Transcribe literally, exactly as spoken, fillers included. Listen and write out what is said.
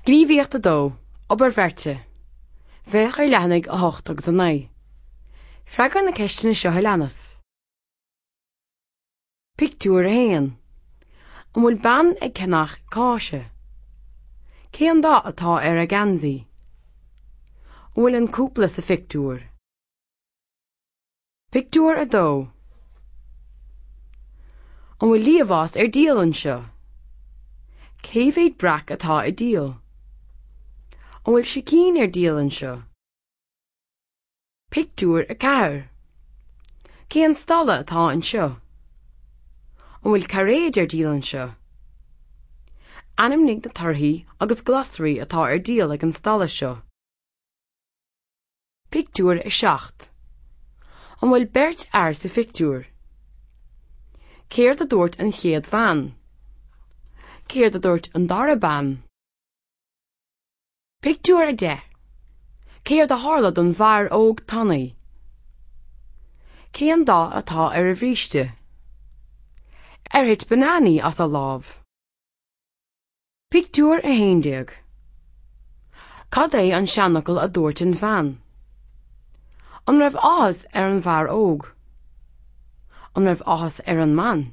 Gníomhaíocht a dó, Obair bheirte. Féach ar leathanaigh a hocht agus a naoi. Freagair na ceisteanna seo a leanas. Pictiúr a haon. An bhfuil bean ag ceannach cáise? Cén dath atá ar a geansaí? An bhfuil an cúpla sa phictiúr? Pictiúr a dó. An bhfuil liamhás ar díol anseo? Cé mhéad breac atá ar díol? An bhfuil sicín ar díol anseo? Pictiúr a ceathair. Cén stalla atá anseo? An bhfuil cairéid ar díol anseo? Ainmnigh na torthaí agus glasraí atá ar díol ag an stalla seo. Pictiúr a seacht. An bhfuil beirt fhear sa phictiúr? Céard a dúirt an chéad bhean? Céard a dúirt an dara bean? Pictiúr a deich. Céard a tharla don bhfear óg tanaí? Cén dath atá ar a bhríste? Ar thit bananaí as a lámh? Pictiúr a haon déag. Cad é an seanfhocal a dúirt an bhean? An raibh áthas ar an bhfear óg? An raibh áthas ar an mbean?